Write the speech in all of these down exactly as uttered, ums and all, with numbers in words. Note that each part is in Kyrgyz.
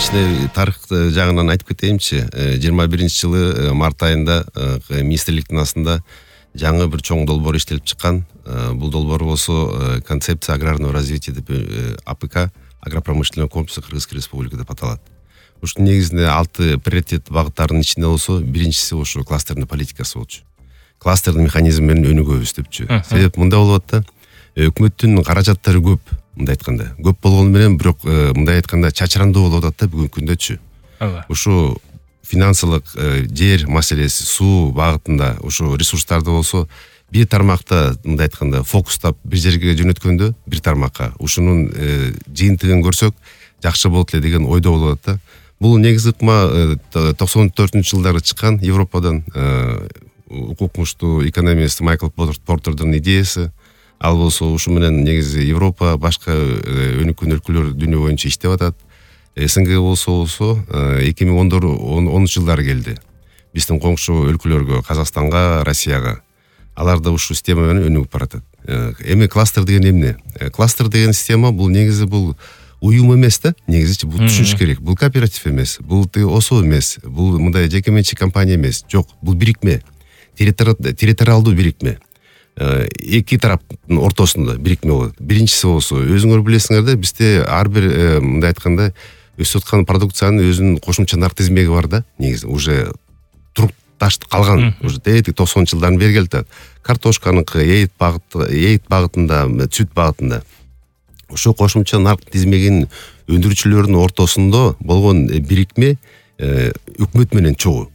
кичине тарых жагынан айтып кетейинчи. жыйырма биринчи жылы март айында министрликтин астында жаңы бир чоң долбоор иштелип чыккан. Бул долбоор болсо концепция аграрного развития деп АПК, агропромышленный комплекс Кыргызской Республики деп аталат. Ушунун негизинде алты приоритет багыттарынын ичинде болсо биринчиси ошо кластерный политикасы болчу. Кластерный механизм менен өнүгөбүз депчү. Себеп мында болот да, өкмөттүн каражаттары көп, мындай айтканда. Көп болгону менен бирок мындай айтканда чачырандуу болуп атат да бүгүнкү күндөчү. Ушу финансылык жер маселеси, суу багытында ушу ресурстарды болсо бир тармакта мындай айтканда фокустап бир жерге жөнөткөндө бир тармакка ушунун жыйынтыгын көрсөк жакшы болот эле деген ойдо болот да. Бул негизи ыкма токсон төртүнчү жылдары чыккан Европадан укуктуу экономист Майкл Портердин идеясы. Ал болсо ушу менен негизи Европа башка өнүккөн өлкөлөр дүйнө боюнча иштеп атат. СНГ болсо болсо эки миң онунчу жылдары келди. Биздин коңшу өлкөлөргө, Казакстанга, Россияга. Алар да ушу система менен өнүгүп баратат. Эми кластер деген эмне? Кластер деген система бул негизи бул уюм эмес да, негизи бул түшүнүш керек. Бул кооператив эмес, бул ОСО эмес, бул мындай жеке менчик компания эмес. Жок, бул бирикме. Территориалдуу бирикме. Эки тараптын ортосунда бирикме болот. Биринчиси болсо, өзүңөр билесиңер да, бизде ар бир мындай айтканда өсүп аткан продукциянын өзүнүн кошумча нарк тизмеги бар да, негизи уже туруп ташты калган, уже токсонунчу жылдарын бери келатат. Картошканыкы, эйт багыты, эйт багытында, сүт багытында. Ошо кошумча нарк тизмегинин өндүрүүчүлөрдүн ортосунда болгон бирикме өкмөт менен чогуу.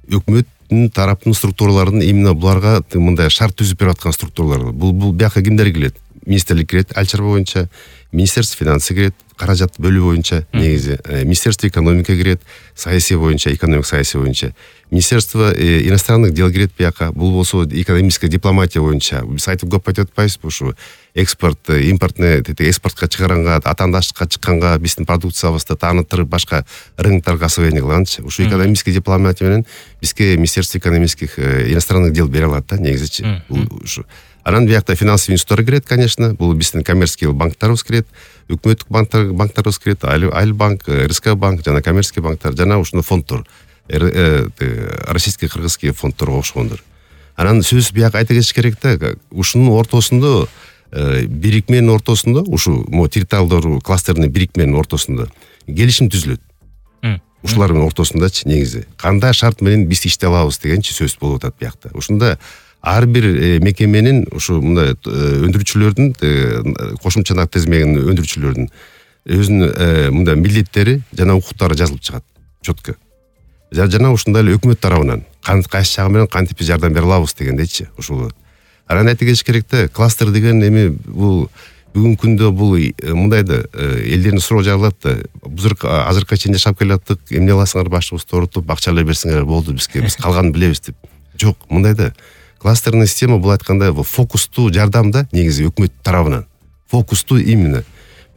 Өкмөттүн тараптын структураларынын именно буларга мындай шарт түзүп берип аткан структуралар. Бул бул бияка кимдер келет? Министрлик кирет, ал чарба боюнча, Министерство финансы кирет, каражат бөлүү боюнча, негизи, Министерство экономика кирет, саясий боюнча, экономик саясий боюнча, Министерство иностранных дел кирет бияка, бул болсо экономическая дипломатия боюнча. Биз айтып көп айтып атпайбызбы ушу экспорт, импортный экспортко чыгаранга, атаандаштыкка чыкканга, биздин продукциябызды тааныттырып, башка рыноктарга освоение кылганчы. Ушу экономический дипломатия менен бизге Министерство экономических иностранных дел бере алат да, негизичи. Ушу. Анан биякта финансовый институттар кирет, конечно, бул биздин коммерческий банктарыбыз кирет, өкмөттүк банктар банктарыбыз кирет, Альбанк, РСК банк, жана коммерческий банктар, жана ушуну фонддор, российский кыргызский фонддорго окшогондор. Анан сөз бияка айта кетиш керек да, ушунун ортосунда бирикменин ортосунда, ушу территориалдуу кластерный бирикменин ортосунда келишим түзүлөт. Ушулардын ортосундачы негизи кандай шарт менен биз иштей алабыз дегенчи сөз болуп атат биякта. Ушунда ар бир мекеменин ушу мындай өндүрүүчүлөрдүн кошумча нарк тизмегинин өндүрүүчүлөрдүн өзүнүн мындай милдеттери жана укуктары жазылып чыгат четко. Жана ушундай эле өкмөт тарабынан кайсы жагы менен кантип жардам бере алабыз дегендейчи ушул. Анан айта кетиш керек да, кластер деген эми бул бүгүнкү күндө бул мындай да элдердин суроо жаралат да. Биз азыркыга чейин жашап келаттык, эмне аласыңар башыбызды оорутуп, акча эле берсеңер болду бизге, биз калганын билебиз деп. Жок, мындай да. Кластерный система бул айткандай фокустуу жардам да, негизи өкмөт тарабынан. Фокустуу именно.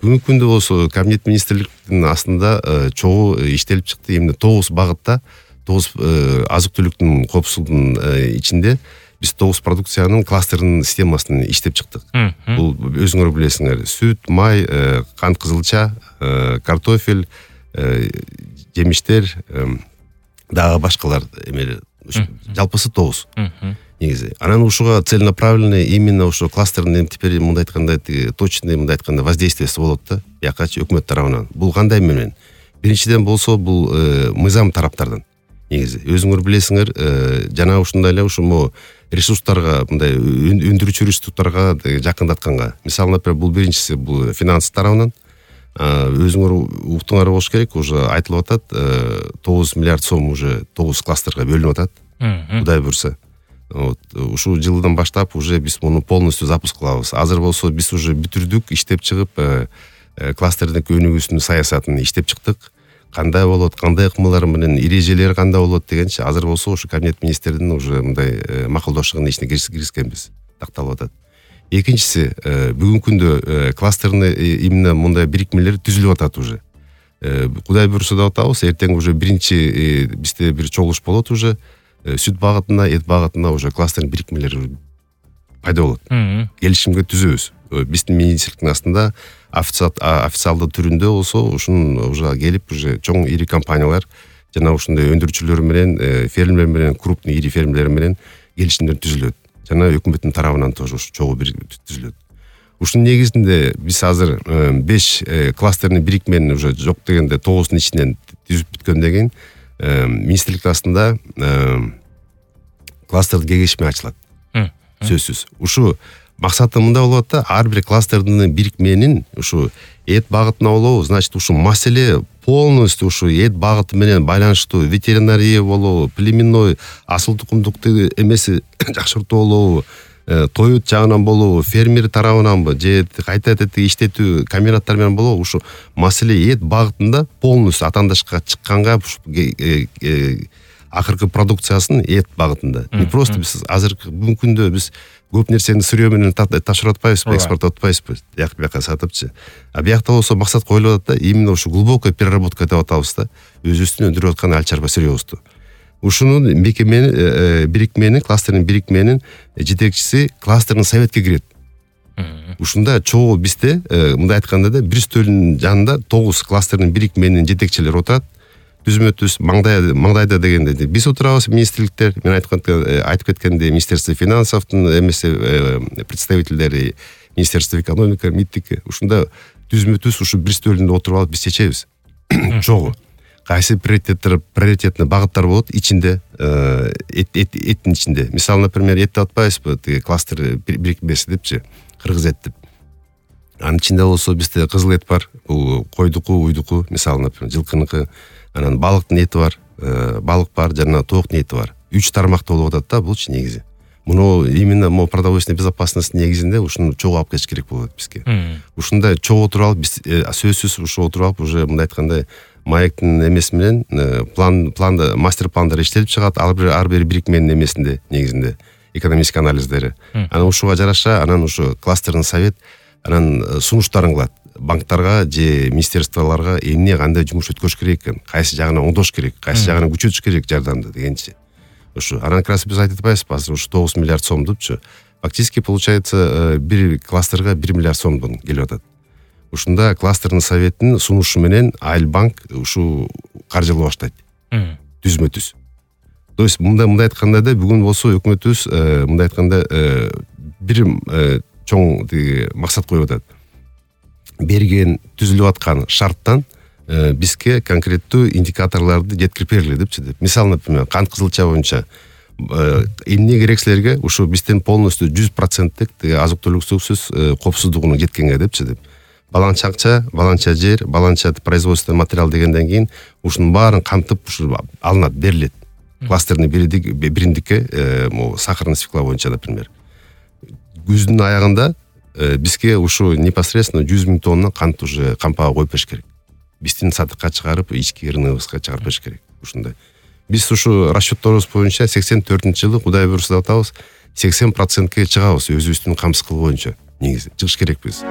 Бүгүнкү күндө болсо Кабинет министрликтин астында чогуу иштелип чыкты, именно тогуз багытта, тогуз азык-түлүктүн коопсуздугунун ичинде биз тогуз продукциянын кластердин системасын иштеп чыктык. Бул өзүңөр билесиңер, сүт, май, кант кызылча, картофель, жемиштер, дагы башкалар эмелер. Жалпысы тогуз. Негизи. Анан ушуга целенаправленный именно ушу кластердин теперь мындай айтканда точный мындай айтканда воздействиеси болот да, якачы өкмөт тарабынан. Бул кандай менен? Биринчиден болсо бул мыйзам тараптардан. Негизи өзүңөр билесиңер, жана ушундай эле ушул ресурстарга, мындай өндүрүүчү ресурстарга жакындатканга. Мисалы, например, бул биринчиси бул финанс тарабынан. Өзүңөр уктуңар болуш керек, уже айтылып атат, тогуз миллиард сом уже тогуз кластерге бөлүнүп атат. Кудай буйрса. Вот ушул жылдан баштап уже биз муну полностью запуск кылабыз. Азыр болсо биз уже бүтүрдүк, иштеп чыгып, кластердин өнүгүүсүнүн саясатын иштеп чыктык. Кандай болот, кандай ыкмалар менен эрежелери кандай болот дегенчи азыр болсо ушу Кабинет министрдин уже мындай макулдашыгынын ичине киришкенбиз. Такталып атат. Экинчиси, бүгүнкү күндө кластерный именно мындай бирикмелер түзүлүп атат уже. Кудай буйрса деп атабыз, эртең уже биринчи бизде бир чогулуш болот уже. Сүт багытына, эт багытына уже кластерный бирикмелер пайда болот. Келишимге түзөбүз. Биздин министрликтин астында официалдуу түрүндө болсо ушун уже келип уже чоң ири компаниялар жана ушундай өндүрүүчүлөр менен, фермерлер менен, крупный ири фермерлер менен келишимдер түзүлөт. Жана өкмөттүн тарабынан тоже ушу чогуу бир түзүлөт. Ушунун негизинде биз азыр беш кластерный бирикмени уже жок дегенде тогуздун ичинен түзүп бүткөндөн кийин министрлик астында кластердик кеңешме ачылат. Сөзсүз. Ушу максаты мында болот да, ар бир кластердин бирикменин ушу эт багытына болобу, значит, ушу маселе полностью ушу эт багыты менен байланыштуу, ветеринария болобу, племенной асыл тукумдукту эмеси жакшыртуу болобу, тоют жагынан болобу, фермер тарабынанбы, же кайта этти иштетүү комбинаттар менен болобу, ушу маселе эт багытында полностью атандашка чыкканга акыркы продукциясын эт багытында. Не просто биз азыркы бүгүнкү күндө биз көп нерсени сырье менен ташкыр атпайбызбы, экспорт атпайбызбы, бияк бияка сатыпчы. А биякта болсо максат коюлуп атат да, именно ушу глубокая переработка деп атабыз да, өзүбүздүн өндүрүп аткан аль чарба сырьебузду. Ушунун мекемени, бирикменин, кластердин бирикменин жетекчиси кластердин советке кирет. Ушунда чогуу бизде, мындай айтканда да, бир стөлдүн жанында тогуз кластердин бирикменин жетекчилери отурат. Түзмөтүз маңдай маңдайда дегенде биз отурабыз, министрликтер, мен айткан айтып кеткендей, Министерство финансовдун эмеси представительдери, Министерство экономика, МИДтики, ушунда түзмөтүз ушу бир стөлдүндө отуруп алып биз чечебиз. Чогуу кайсы приоритеттер, приоритетный багыттар болот ичинде, эттин ичинде. Мисалы, например, этти атпайбызбы, тиги кластер бирикмеси депчи, кыргыз эт деп. Анын ичинде болсо бизде кызыл эт бар, бул койдуку, уйдуку, мисалы, например, жылкыныкы. Анан балыктын эти бар, балык бар, жана тооктун эти бар. Үч тармакта болуп атат да, булчу негизи. Муну именно мо продовольственный безопасность негизинде ушуну чогуу алып кетиш керек болот бизге. Ушундай чогуу отуруп алып биз сөзсүз ушу отуруп алып уже мындай айтканда маектин эмеси менен план планда мастер пландар иштелип чыгат, ар бир ар бир бирикменин эмесинде негизинде экономический анализдери. Анан ушуга жараша анан ушу кластердин совет анан сунуштарын кылат. Банктарга же министерстволорго эмне кандай жумуш өткөрүш керек экен, кайсы жагынан оңдош керек, кайсы жагынан күчөтүш керек жардамды дегенчи. Ушу анан как раз биз айтып атпайбызбы, азыр ушу тогуз миллиард сом депчи. Фактически получается бир кластерга бир миллиард сомдон келип атат. Ушунда кластердин советтин сунушу менен Айлбанк ушу каржылай баштайт. Түзмө-түз. То есть мындай мындай айтканда да бүгүн болсо өкмөтүбүз мындай айтканда бир чоң максат коюп атат. Берген түзүлүп аткан шарттан бизге конкреттүү индикаторлорду жеткирип бергиле депчи деп. Мисалы, например, кант кызылча боюнча эмне керек силерге, ушу бизден полностью жүз проценттик азык-түлүксүз коопсуздугуна жеткенге депчи деп. Баланча акча, баланча жер, баланча производственный материал дегенден кийин ушунун баарын камтып ушу алынат, берилет. Кластерный биримдикке, сахарный свекла боюнча, например. Күздүн аягында бизге ушу непосредственно жүз миң тонна кант уже кампага коюп бериш керек. Биздин сатыкка чыгарып, ички рыногыбызга чыгарып бериш керек. Ушундай. Биз ушу расчетторубуз боюнча сексен төртүнчү жылы Кудай буйруса деп атабыз, сексен процентке чыгабыз өзүбүздүн камсыз кылуу боюнча. Негизи чыгыш керекпиз.